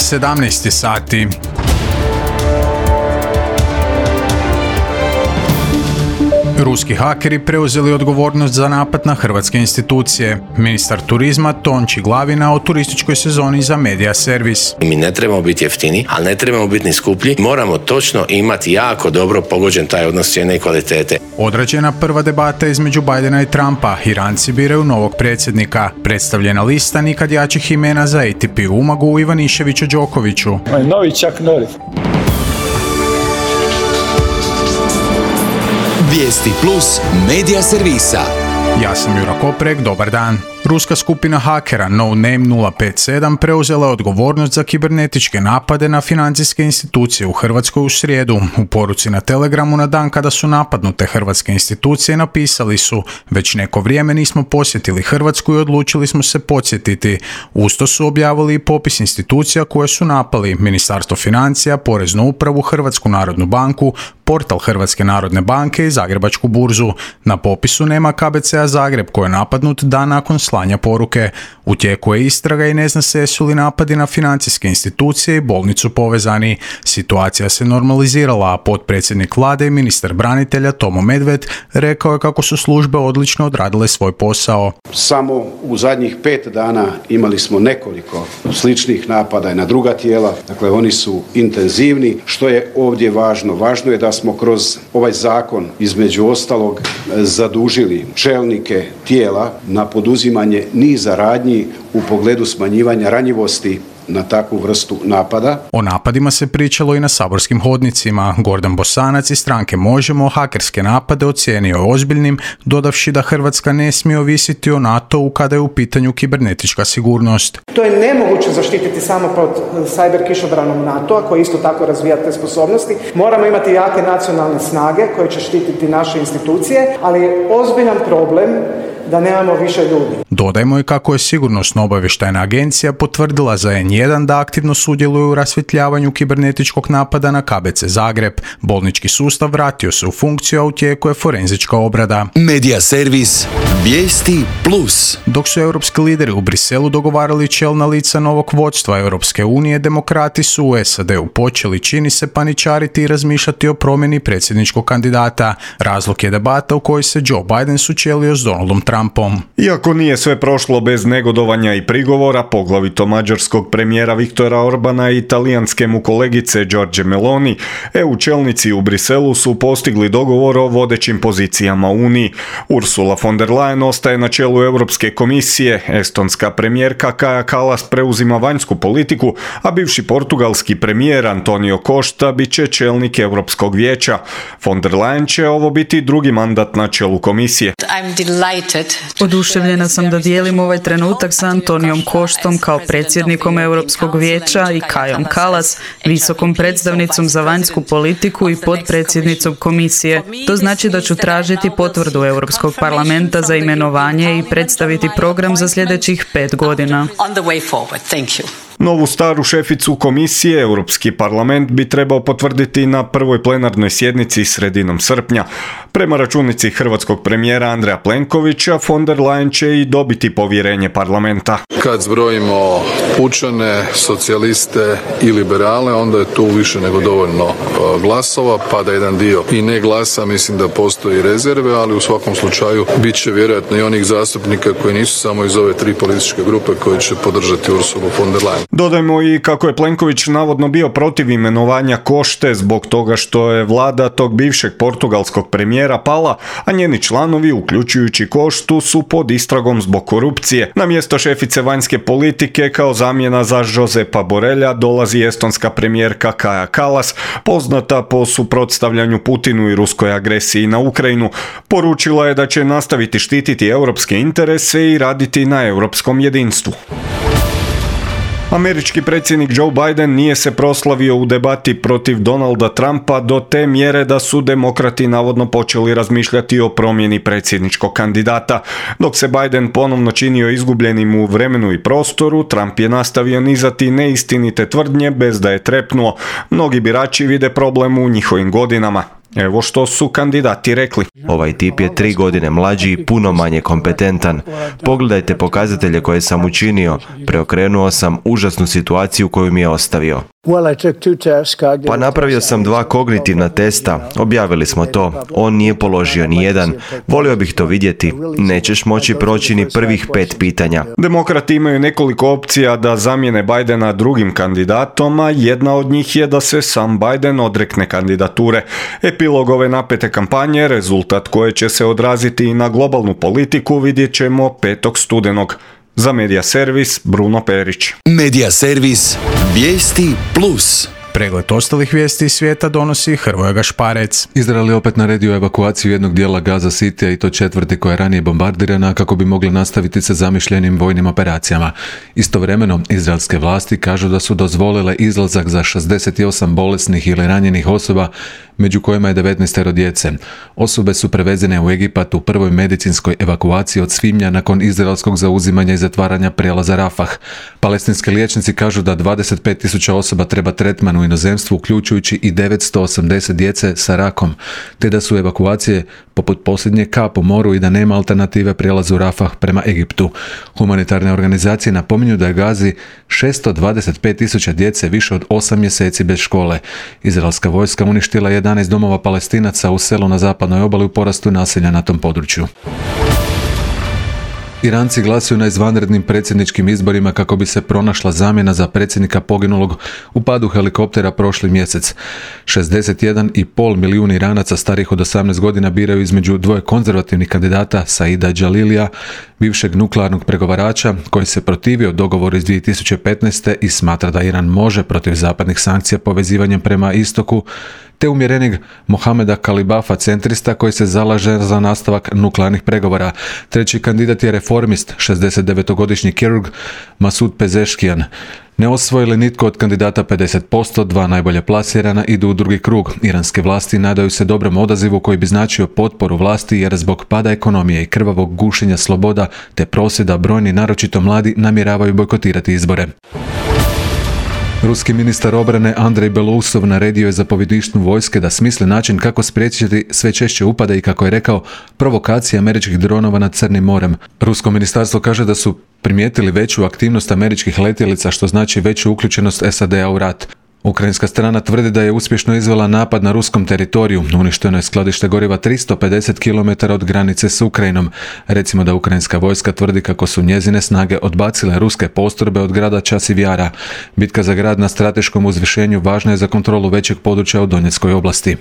17 sati. Ruski hakeri preuzeli odgovornost za napad na hrvatske institucije. Ministar turizma Tonči Glavina o turističkoj sezoni za Media Servis. Mi ne trebamo biti jeftini, ali ne trebamo biti ni skuplji. Moramo točno imati jako dobro pogođen taj odnos cijene i kvalitete. Odrađena prva debata između Bidena i Trumpa. Iranci biraju novog predsjednika. Predstavljena lista nikad jačih imena za ATP Umagu Ivaniševiću Đokoviću. Novi Chuck Norris. Vijesti plus Media Servisa. Ja sam Jura Koprek, dobar dan. Ruska skupina hakera No Name 057 preuzela je odgovornost za kibernetičke napade na financijske institucije u Hrvatskoj u srijedu. U poruci na Telegramu na dan kada su napadnute hrvatske institucije napisali su: već neko vrijeme nismo posjetili Hrvatsku i odlučili smo se podsjetiti. Usto su objavili i popis institucija koje su napali: Ministarstvo financija, Poreznu upravu, Hrvatsku narodnu banku, portal Hrvatske narodne banke i Zagrebačku burzu. Na popisu nema KBC-a Zagreb koji je napadnut dan nakon slanja poruke. U tijeku je istraga i ne zna se jesu li napadi na financijske institucije i bolnicu povezani. Situacija se normalizirala, a potpredsjednik vlade i ministar branitelja Tomo Medved rekao je kako su službe odlično odradile svoj posao. Samo u zadnjih 5 dana imali smo nekoliko sličnih napada i na druga tijela, dakle oni su intenzivni. Što je ovdje važno? Važno je da smo kroz ovaj zakon između ostalog zadužili čelnike tijela na poduzimanje niza radnji u pogledu smanjivanja ranjivosti na takvu vrstu napada. O napadima se pričalo i na saborskim hodnicima. Gordan Bosanac iz stranke Možemo hakerske napade ocijenio je ozbiljnim, dodavši da Hrvatska ne smije ovisiti o NATO-u kada je u pitanju kibernetička sigurnost. To je nemoguće zaštititi samo pod cyber kišobranom NATO-a koji isto tako razvija te sposobnosti. Moramo imati jake nacionalne snage koje će štititi naše institucije, ali je ozbiljan problem da nemamo više ljudi. Dodajmo i kako je Sigurnosno-obavještajna agencija potvrdila za N1 da aktivno sudjeluju u rasvjetljavanju kibernetičkog napada na KBC Zagreb. Bolnički sustav vratio se u funkciju, a u tijeku je forenzička obrada. Media Servis. Vijesti plus. Dok su europski lideri u Briselu dogovarali čelna lica novog vodstva Europske unije, demokrati su u SAD-u počeli, čini se, paničariti i razmišljati o promjeni predsjedničkog kandidata. Razlog je debata u kojoj se Joe Biden sučelio s Donaldom Trumpom. Iako nije sve prošlo bez negodovanja i prigovora, poglavito mađarskog premijera Viktora Orbana i italijanske mu kolegice Giorge Meloni, EU čelnici u Briselu su postigli dogovor o vodećim pozicijama u Uniji. Ursula von der Leyen ostaje na čelu Europske komisije, estonska premijerka Kaja Kallas preuzima vanjsku politiku, a bivši portugalski premijer Antonio Costa bit će čelnik Europskog vijeća. Von der Leyen će ovo biti drugi mandat na čelu komisije. Oduševljena sam da dijelim ovaj trenutak sa Antonijom Costom kao predsjednikom Europskog vijeća i Kajom Kallas, visokom predstavnicom za vanjsku politiku i potpredsjednicom komisije. To znači da ću tražiti potvrdu Europskog parlamenta za imenovanje i predstaviti program za sljedećih 5 godina. Novu staru šeficu komisije Europski parlament bi trebao potvrditi na prvoj plenarnoj sjednici sredinom srpnja. Prema računici hrvatskog premijera Andreja Plenkovića, von der Leyen će i dobiti povjerenje parlamenta. Kad zbrojimo pučane, socijaliste i liberale, onda je tu više nego dovoljno glasova, pa da jedan dio i ne glasa, mislim da postoji rezerve, ali u svakom slučaju bit će vjerojatno i onih zastupnika koji nisu samo iz ove 3 političke grupe koji će podržati Ursulu von der Leyen. Dodajmo i kako je Plenković navodno bio protiv imenovanja Košte zbog toga što je vlada tog bivšeg portugalskog premijera pala, a njeni članovi, uključujući Koštu, su pod istragom zbog korupcije. Na mjesto šefice vanjske politike kao zamjena za Josepa Borrella dolazi estonska premijerka Kaja Kallas, poznata po suprotstavljanju Putinu i ruskoj agresiji na Ukrajinu. Poručila je da će nastaviti štititi europske interese i raditi na europskom jedinstvu. Američki predsjednik Joe Biden nije se proslavio u debati protiv Donalda Trumpa do te mjere da su demokrati navodno počeli razmišljati o promjeni predsjedničkog kandidata. Dok se Biden ponovno činio izgubljenim u vremenu i prostoru, Trump je nastavio nizati neistinite tvrdnje bez da je trepnuo. Mnogi birači vide problem u njihovim godinama. Evo što su kandidati rekli. Ovaj tip je 3 godine mlađi i puno manje kompetentan. Pogledajte pokazatelje koje sam učinio. Preokrenuo sam užasnu situaciju koju mi je ostavio. Pa napravio sam 2 kognitivna testa, objavili smo to. On nije položio ni jedan. Volio bih to vidjeti. Nećeš moći proći ni prvih 5 pitanja. Demokrati imaju nekoliko opcija da zamijene Bidena drugim kandidatom, a jedna od njih je da se sam Biden odrekne kandidature. Epilog ove napete kampanje, rezultat koje će se odraziti i na globalnu politiku, vidjet ćemo 5. studenog. Za Medija servis, Bruno Perić. Medija servis, vijesti plus. Pregled ostalih vijesti iz svijeta donosi Hrvoje Gašparec. Izrael je opet naredio evakuaciju jednog dijela Gaza Citya i to 4. koja je ranije bombardirana kako bi mogli nastaviti sa zamišljenim vojnim operacijama. Istovremeno, izraelske vlasti kažu da su dozvolile izlazak za 68 bolesnih ili ranjenih osoba, među kojima je 19 djece. Osobe su prevezene u Egipat u prvoj medicinskoj evakuaciji od svibnja nakon izraelskog zauzimanja i zatvaranja prijelaza Rafah. Palestinski liječnici kažu da 25.000 osoba treba tretman u inozemstvu, uključujući i 980 djece sa rakom, te da su evakuacije poput posljednje kap u moru i da nema alternative prijelazu Rafah prema Egiptu. Humanitarne organizacije napominju da je Gazi 625.000 djece više od 8 mjeseci bez škole. Izraelska vojska uništila 11 domova Palestinaca u selu na zapadnoj obali u porastu nasilja na tom području. Iranci glasuju na izvanrednim predsjedničkim izborima kako bi se pronašla zamjena za predsjednika poginulog u padu helikoptera prošli mjesec. 61,5 milijuna Iranaca starih od 18 godina biraju između 2 konzervativnih kandidata, Saida Jalilija, bivšeg nuklearnog pregovarača koji se protivio dogovoru iz 2015. i smatra da Iran može protiv zapadnih sankcija povezivanjem prema istoku, te umjerenig Mohameda Kalibafa, centrista koji se zalaže za nastavak nuklearnih pregovora. Treći kandidat je reformist, 69-godišnji kirurg Masud Pezeshkian. Ne osvoji li nitko od kandidata 50%, 2 najbolje plasirana idu u drugi krug. Iranske vlasti nadaju se dobrom odazivu koji bi značio potporu vlasti jer zbog pada ekonomije i krvavog gušenja sloboda te prosvjeda brojni, naročito mladi, namjeravaju bojkotirati izbore. Ruski ministar obrane Andrej Belousov naredio je zapovjedništvu vojske da smisli način kako spriječiti sve češće upade i, kako je rekao, provokacije američkih dronova nad Crnim morem. Rusko ministarstvo kaže da su primijetili veću aktivnost američkih letjelica, što znači veću uključenost SAD-a u rat. Ukrajinska strana tvrdi da je uspješno izvela napad na ruskom teritoriju. Uništeno je skladište goriva 350 km od granice s Ukrajinom. Recimo da ukrajinska vojska tvrdi kako su njezine snage odbacile ruske postrojbe od grada Časivjara. Bitka za grad na strateškom uzvišenju važna je za kontrolu većeg područja u Donjeckoj oblasti.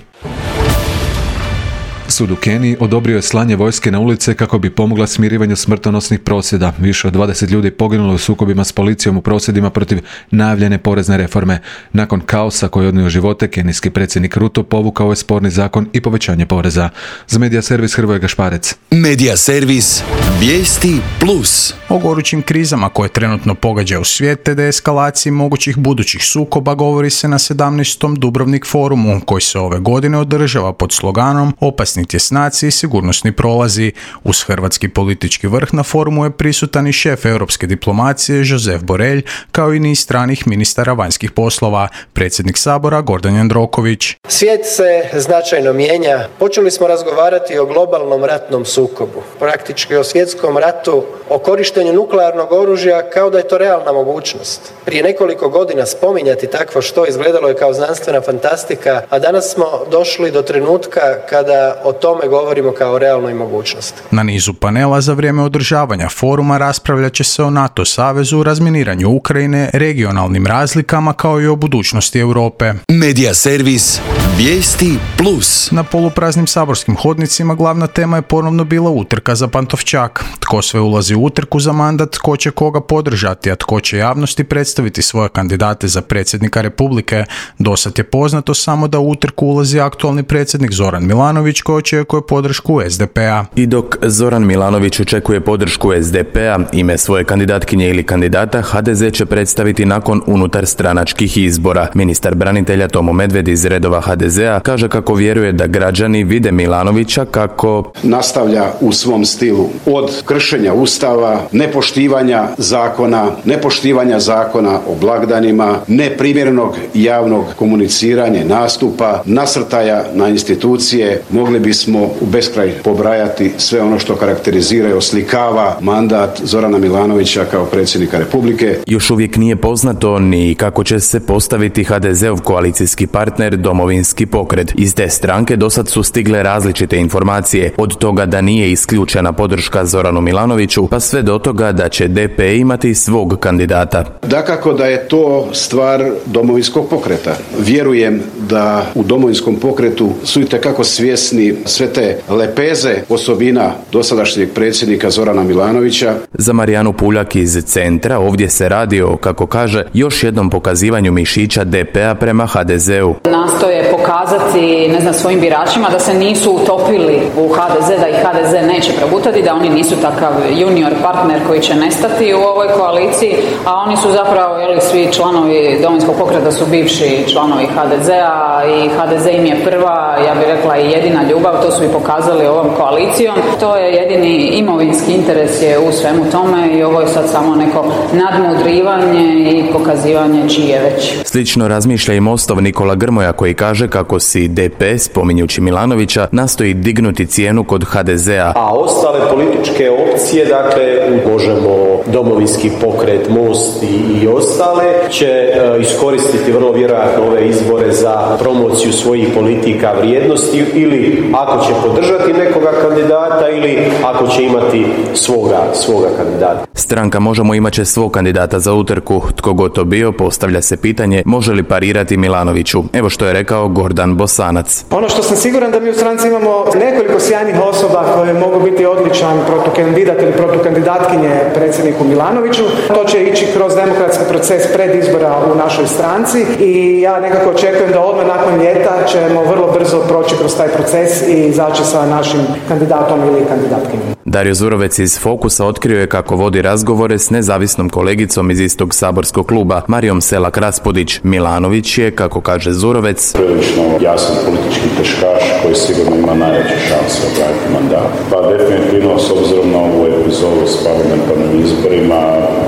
Sud u Keniji odobrio je slanje vojske na ulice kako bi pomogla smirivanju smrtonosnih prosvjeda. Više od 20 ljudi poginulo u sukobima s policijom u prosvjedima protiv najavljene porezne reforme. Nakon kaosa koji je odnio živote, kenijski predsjednik Ruto povukao je sporni zakon i povećanje poreza. Za Medija servis, Hrvoje Gašparec. Medija servis, vijesti plus. O gorućim krizama koje trenutno pogađaju svijet te deeskalaciji mogućih budućih sukoba govori se na 17. Dubrovnik forumu, koji se ove godine održava pod sloganom Opasni tjesnaci i sigurnosni prolazi. Uz hrvatski politički vrh na forumu je prisutan i šef europske diplomacije Josep Borrell, kao i niz stranih ministara vanjskih poslova, predsjednik Sabora Gordan Jandroković. Svijet se značajno mijenja. Počeli smo razgovarati o globalnom ratnom sukobu, praktički o svjetskom ratu, o korištenju nuklearnog oružja kao da je to realna mogućnost. Prije nekoliko godina spominjati takvo što izgledalo je kao znanstvena fantastika, a danas smo došli do trenutka kada o tome govorimo kao o realnoj mogućnosti. Na nizu panela za vrijeme održavanja foruma raspravljat će se o NATO savezu, razminiranju Ukrajine, regionalnim razlikama kao i o budućnosti Europe. Medija servis, vijesti plus. Na polupraznim saborskim hodnicima glavna tema je ponovno bila utrka za Pantovčak. Tko sve ulazi u utrku za mandat, tko će koga podržati, a tko će javnosti predstaviti svoje kandidate za predsjednika Republike. Dosad je poznato samo da u utrku ulazi aktualni predsjednik Zoran Milanović, koji očekuje podršku SDP-a. I dok Zoran Milanović očekuje podršku SDP-a, ime svoje kandidatkinje ili kandidata HDZ će predstaviti nakon unutarstranačkih izbora. Ministar branitelja Tomo Medved iz redova HDZ-a kaže kako vjeruje da građani vide Milanovića kako nastavlja u svom stilu od kršenja Ustava, nepoštivanja zakona o blagdanima, neprimjerenog javnog komuniciranja, nastupa, nasrtaja na institucije. Mogli bismo u beskraj pobrajati sve ono što karakterizira i oslikava mandat Zorana Milanovića kao predsjednika Republike. Još uvijek nije poznato ni kako će se postaviti HDZ-ov koalicijski partner Domovinski pokret. Iz te stranke dosad su stigle različite informacije, od toga da nije isključena podrška Zoranu Milanoviću, pa sve do toga da će DP imati svog kandidata. Dakako da je to stvar Domovinskog pokreta. Vjerujem da u Domovinskom pokretu su itekako svjesni sve te lepeze osobina dosadašnjeg predsjednika Zorana Milanovića. Za Marijanu Puljak iz Centra ovdje se radi o, kako kaže, još jednom pokazivanju mišića DP-a prema HDZ-u. Nastoje pokazati, svojim biračima da se nisu utopili u HDZ, da ih HDZ neće progutati, da oni nisu takav junior partner koji će nestati u ovoj koaliciji, a oni su zapravo, svi članovi Domovinskog pokreta su bivši članovi HDZ-a i HDZ im je prva, ja bih rekla i jedina ljubav, to su i pokazali ovom koalicijom. To je jedini imovinski interes je u svemu tome i ovo je sad samo neko nadmudrivanje i pokazivanje čiji je već. Slično razmišlja i Mostov Nikola Grmoja koji kaže kako si DP, spominjući Milanovića, nastoji dignuti cijenu kod HDZ-a. A ostale političke opcije, Možemo, Domovinski pokret, Most i ostale, će iskoristiti vrlo vjerojatno ove izbore za promociju svojih politika, vrijednosti ili ako će podržati nekoga kandidata ili ako će imati svoga kandidata. Stranka Možemo imat će svog kandidata za utrku. Tko god to bio, postavlja se pitanje može li parirati Milanoviću. Evo što je rekao Gordan Bosanac. Ono što sam siguran da mi u stranci imamo nekoliko sjajnih osoba koje mogu biti odličan protukandidat ili protukandidatkinje predsjedniku Milanoviću. To će ići kroz demokratski proces pred izbora u našoj stranci i ja nekako očekujem da odmah nakon ljeta ćemo vrlo brzo proći kroz taj proces i izaći sa našim kandidatom ili kandidatkinjom. Dario Zurovec iz Fokusa otkrio je kako vodi razgovore s nezavisnom kolegicom iz istog saborskog kluba, Marijom Selak Raspudić. Milanović je, kako kaže Zurovec, prilično jasan politički teškaš koji sigurno ima najveće šanse obraniti mandat. Pa definitivno, s obzirom na ovu epizodu s parlamentarnim izborima,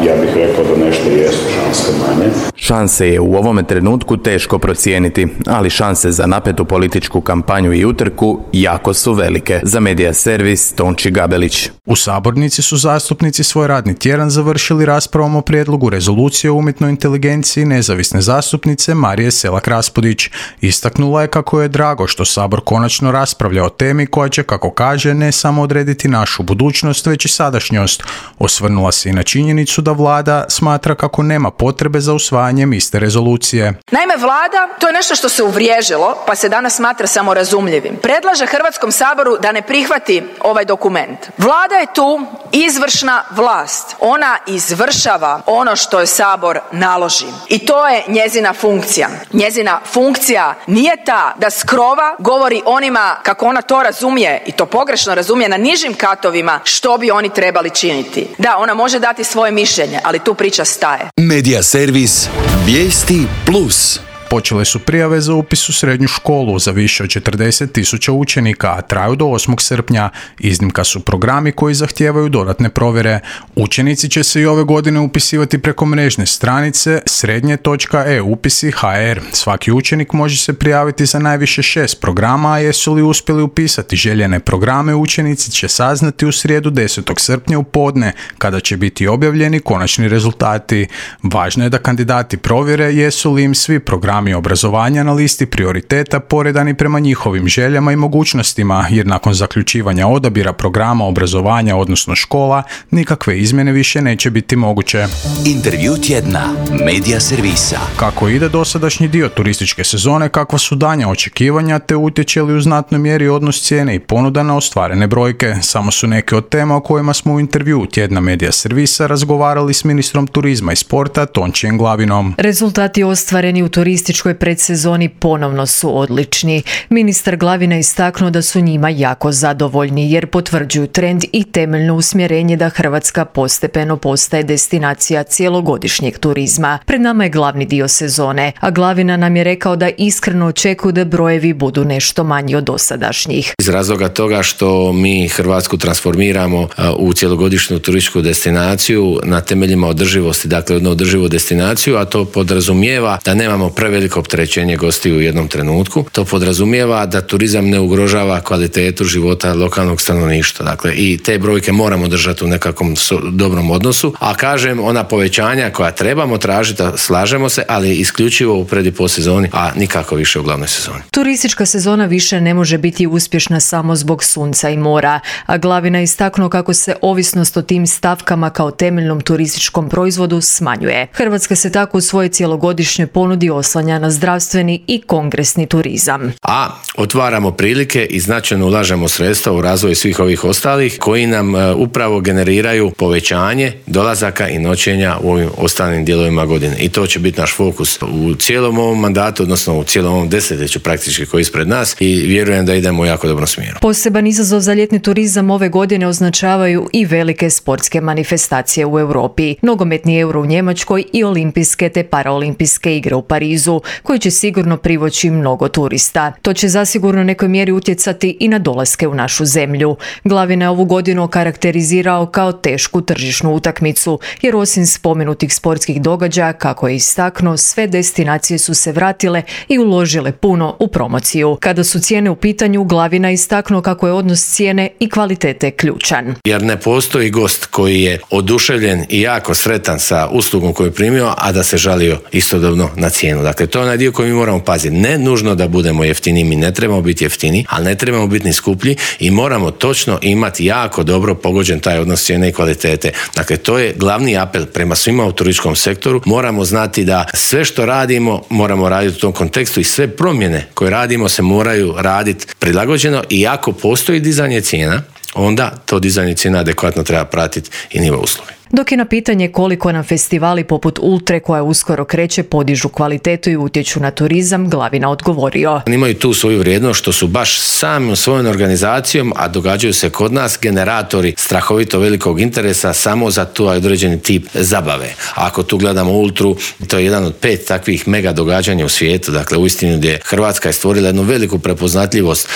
ja bih rekao da nešto jesu šanse manje. Šanse je u ovome trenutku teško procijeniti, ali šanse za napetu političku kampanju i utrku jako su velike. Za Medija servis Tonči Gabelić. U sabornici su zastupnici svoj radni tjedan završili raspravom o prijedlogu rezolucije o umjetnoj inteligenciji nezavisne zastupnice Marije Selak Raspudić. Istaknula je kako je drago što Sabor konačno raspravlja o temi koja će, kako kaže, ne samo odrediti našu budućnost, već i sadašnjost. Osvrnula se i na činjenicu da vlada smatra kako nema potrebe za usvajanjem iste rezolucije. Naime, vlada, to je nešto što se uvriježilo, pa se danas smatra samorazumljivim. Predlaže Hrvatskom saboru da ne prihvati ovaj dokument. Vlada je tu izvršna vlast. Ona izvršava ono što je Sabor naloži. I to je njezina funkcija. Njezina funkcija nije ta da s krova govori onima kako ona to razumije i to pogrešno razumije na nižim katovima što bi oni trebali činiti. Da, ona može dati svoje mišljenje, ali tu priča staje. Medija servis Vijesti Plus. Počele su prijave za upis u srednju školu za više od 40.000 učenika, a traju do 8. srpnja. Iznimka su programi koji zahtijevaju dodatne provjere. Učenici će se i ove godine upisivati preko mrežne stranice srednje.eupisi.hr. Svaki učenik može se prijaviti za najviše 6 programa, a jesu li uspjeli upisati željene programe, učenici će saznati u srijedu 10. srpnja u podne, kada će biti objavljeni konačni rezultati. Važno je da kandidati provjere jesu li im svi programi obrazovanja na listi prioriteta poredani prema njihovim željama i mogućnostima, jer nakon zaključivanja odabira programa obrazovanja, odnosno škola, nikakve izmjene više neće biti moguće. Intervju tjedna Medija servisa. Kako ide dosadašnji dio turističke sezone, kakva su danja očekivanja, te utječe li u znatnoj mjeri odnos cijene i ponuda na ostvarene brojke, samo su neke od tema o kojima smo u intervju tjedna Medija servisa razgovarali s ministrom turizma i sporta Tončijem Glavinom. Rezultati ostvareni u turističkoj turističkoj predsezoni ponovno su odlični. Ministar Glavina istaknuo da su njima jako zadovoljni jer potvrđuju trend i temeljno usmjerenje da Hrvatska postepeno postaje destinacija cjelogodišnjeg turizma. Pred nama je glavni dio sezone, a Glavina nam je rekao da iskreno očekuju da brojevi budu nešto manji od dosadašnjih. Iz razloga toga što mi Hrvatsku transformiramo u cjelogodišnju turističku destinaciju na temeljima održivosti, dakle jednu održivu destinaciju, a to podrazumijeva da nemamo preveliko opterećenje gostiju u jednom trenutku. To podrazumijeva da turizam ne ugrožava kvalitetu života lokalnog stanovništva. Dakle, i te brojke moramo držati u nekakvom dobrom odnosu, a kažem, ona povećanja koja trebamo tražiti, slažemo se, ali isključivo u pred i po sezoni, a nikako više u glavnoj sezoni. Turistička sezona više ne može biti uspješna samo zbog sunca i mora, a Glavina istaknuo kako se ovisnost o tim stavkama kao temeljnom turističkom proizvodu smanjuje. Hrvatska se tako u svojoj cjelogodišnjoj ponudi oslanja na zdravstveni i kongresni turizam. A otvaramo prilike i značajno ulažemo sredstva u razvoj svih ovih ostalih koji nam upravo generiraju povećanje dolazaka i noćenja u ovim ostalim dijelovima godine. I to će biti naš fokus u cijelom ovom mandatu, odnosno u cijelom ovom desetljeću praktički koji je ispred nas i vjerujem da idemo u jako dobrom smjeru. Poseban izazov za ljetni turizam ove godine označavaju i velike sportske manifestacije u Europi, nogometni Euro u Njemačkoj i olimpijske te paraolimpijske igre u Parizu, koji će sigurno privući mnogo turista. To će zasigurno u nekoj mjeri utjecati i na dolaske u našu zemlju. Glavina je ovu godinu okarakterizirao kao tešku tržišnu utakmicu, jer osim spomenutih sportskih događaja, kako je istaknuo, sve destinacije su se vratile i uložile puno u promociju. Kada su cijene u pitanju, Glavina istaknuo kako je odnos cijene i kvalitete ključan. Jer ne postoji gost koji je oduševljen i jako sretan sa uslugom koju je primio, a da se žalio istodobno na cijenu. Dakle, to je onaj dio koji mi moramo paziti. Ne nužno da budemo jeftini, mi ne trebamo biti jeftini, ali ne trebamo biti ni skuplji i moramo točno imati jako dobro pogođen taj odnos cijene i kvalitete. Dakle, to je glavni apel prema svima u turističkom sektoru. Moramo znati da sve što radimo moramo raditi u tom kontekstu i sve promjene koje radimo se moraju raditi prilagođeno i ako postoji dizanje cijena, onda to dizanje cijena adekvatno treba pratiti i nivo usluge. Dok je na pitanje koliko nam festivali poput Ultre, koja uskoro kreće, podižu kvalitetu i utječu na turizam, Glavina odgovorio. Imaju tu svoju vrijednost što su baš samim svojom organizacijom, a događaju se kod nas, generatori strahovito velikog interesa samo za tu određeni tip zabave. Ako tu gledamo Ultru, to je jedan od 5 takvih mega događanja u svijetu, dakle uistinu gdje Hrvatska je stvorila jednu veliku prepoznatljivost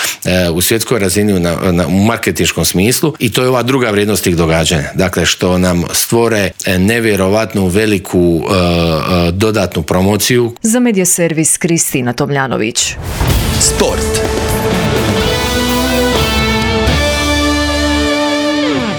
u svjetskoj razini u marketinškom smislu i to je ova druga vrijednost tih događanja. Dakle, što nam stvore nevjerovatnu veliku dodatnu promociju. Za Medija servis Kristina Tomljanović. Sport.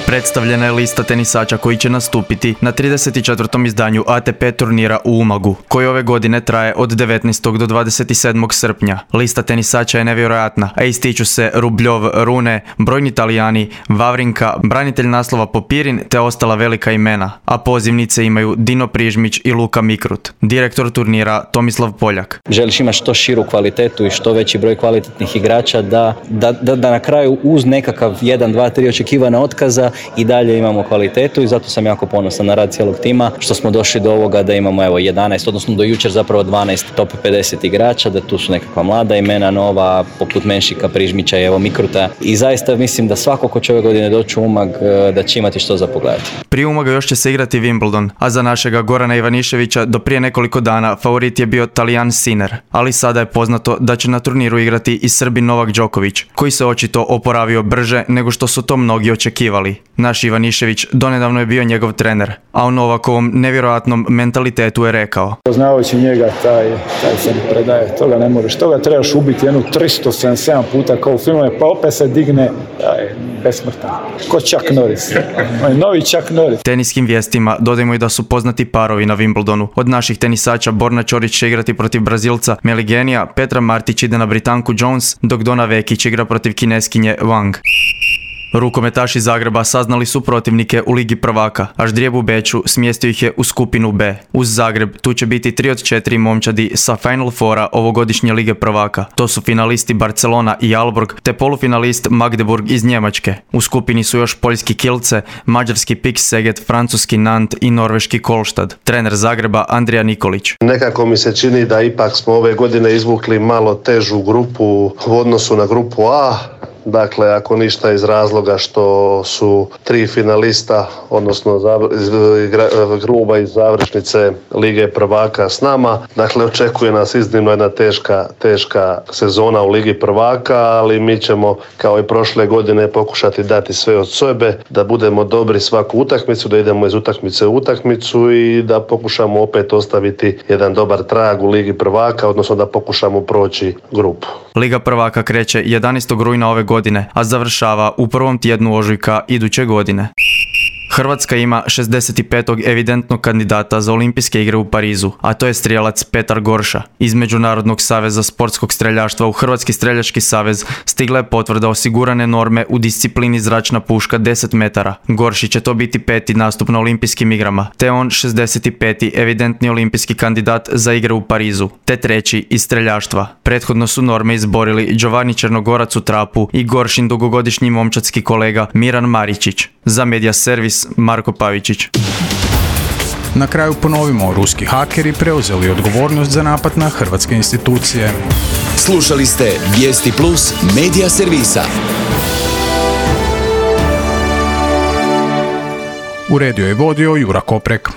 Predstavljena je lista tenisača koji će nastupiti na 34. izdanju ATP turnira u Umagu, koji ove godine traje od 19. do 27. srpnja. Lista tenisača je nevjerojatna, a ističu se Rubljov, Rune, brojni Italijani, Vavrinka, branitelj naslova Popirin te ostala velika imena, a pozivnice imaju Dino Prižmić i Luka Mikrut. Direktor turnira Tomislav Poljak. Želiš imati što širu kvalitetu i što veći broj kvalitetnih igrača da na kraju uz nekakav 1, 2, 3 očekivana otkaza i dalje imamo kvalitetu i zato sam jako ponosan na rad cijelog tima što smo došli do ovoga da imamo 11, odnosno do jučer zapravo 12 top 50 igrača, da tu su nekakva mlada imena nova poput Menšika, Prižmića i Mikruta i zaista mislim da svako ko će ove godine doći u Umag da će imati što za pogledati. Prije Umaga još će se igrati Wimbledon, a za našega Gorana Ivaniševića do prije nekoliko dana favorit je bio Talijan Sinner, ali sada je poznato da će na turniru igrati i Srbin Novak Đoković, koji se očito oporavio brže nego što su to mnogi očekivali. Naš Ivanišević donedavno je bio njegov trener, a o Novakovom nevjerojatnom mentalitetu je rekao: Poznavajući njega, taj se ne predaje, toga ne možeš, toga trebaš ubiti jednu 377 puta kao u filmove, pa opet se digne, besmrtan. Ko Chuck Norris, novi Chuck Norris. Teniskim vijestima dodajmo i da su poznati parovi na Wimbledonu. Od naših tenisača Borna Ćorić će igrati protiv Brazilca Meligenija, Petra Martić ide na Britanku Jones, dok Dona Vekić igra protiv Kineskinje Wang. Rukometaši Zagreba saznali su protivnike u Ligi prvaka, a Ždrijeb u Beču smjestio ih je u skupinu B. Uz Zagreb tu će biti 3 od 4 momčadi sa Final Fora ovogodišnje Lige prvaka. To su finalisti Barcelona i Aalborg, te polufinalist Magdeburg iz Njemačke. U skupini su još poljski Kielce, mađarski PIK Szeged, francuski Nantes i norveški Kolstad. Trener Zagreba Andrija Nikolić. Nekako mi se čini da ipak smo ove godine izvukli malo težu grupu u odnosu na grupu A. Dakle, ako ništa iz razloga što su 3 finalista, odnosno gruba iz završnice Lige prvaka s nama. Dakle, očekuje nas iznimno jedna teška sezona u Ligi prvaka, ali mi ćemo kao i prošle godine pokušati dati sve od sebe, da budemo dobri svaku utakmicu, da idemo iz utakmice u utakmicu i da pokušamo opet ostaviti jedan dobar trag u Ligi prvaka, odnosno da pokušamo proći grupu. Liga prvaka kreće 11. rujna ove godine, a završava u prvom tjednu ožujka iduće godine. Hrvatska ima 65. evidentnog kandidata za olimpijske igre u Parizu, a to je strijelac Petar Gorša. Iz Međunarodnog saveza sportskog streljaštva u Hrvatski streljački savez stigla je potvrda osigurane norme u disciplini zračna puška 10 metara. Gorši će to biti 5. nastup na olimpijskim igrama, te on 65. evidentni olimpijski kandidat za igre u Parizu, te 3. iz streljaštva. Prethodno su norme izborili Giovanni Černogorac u trapu i Goršin dugogodišnji momčadski kolega Miran Maričić. Za Media Servis Marko Pavičić. Na kraju ponovimo, ruski hakeri preuzeli odgovornost za napad na hrvatske institucije. Slušali ste Vijesti Plus Media Servisa. Uredio je vodio Jura Koprek.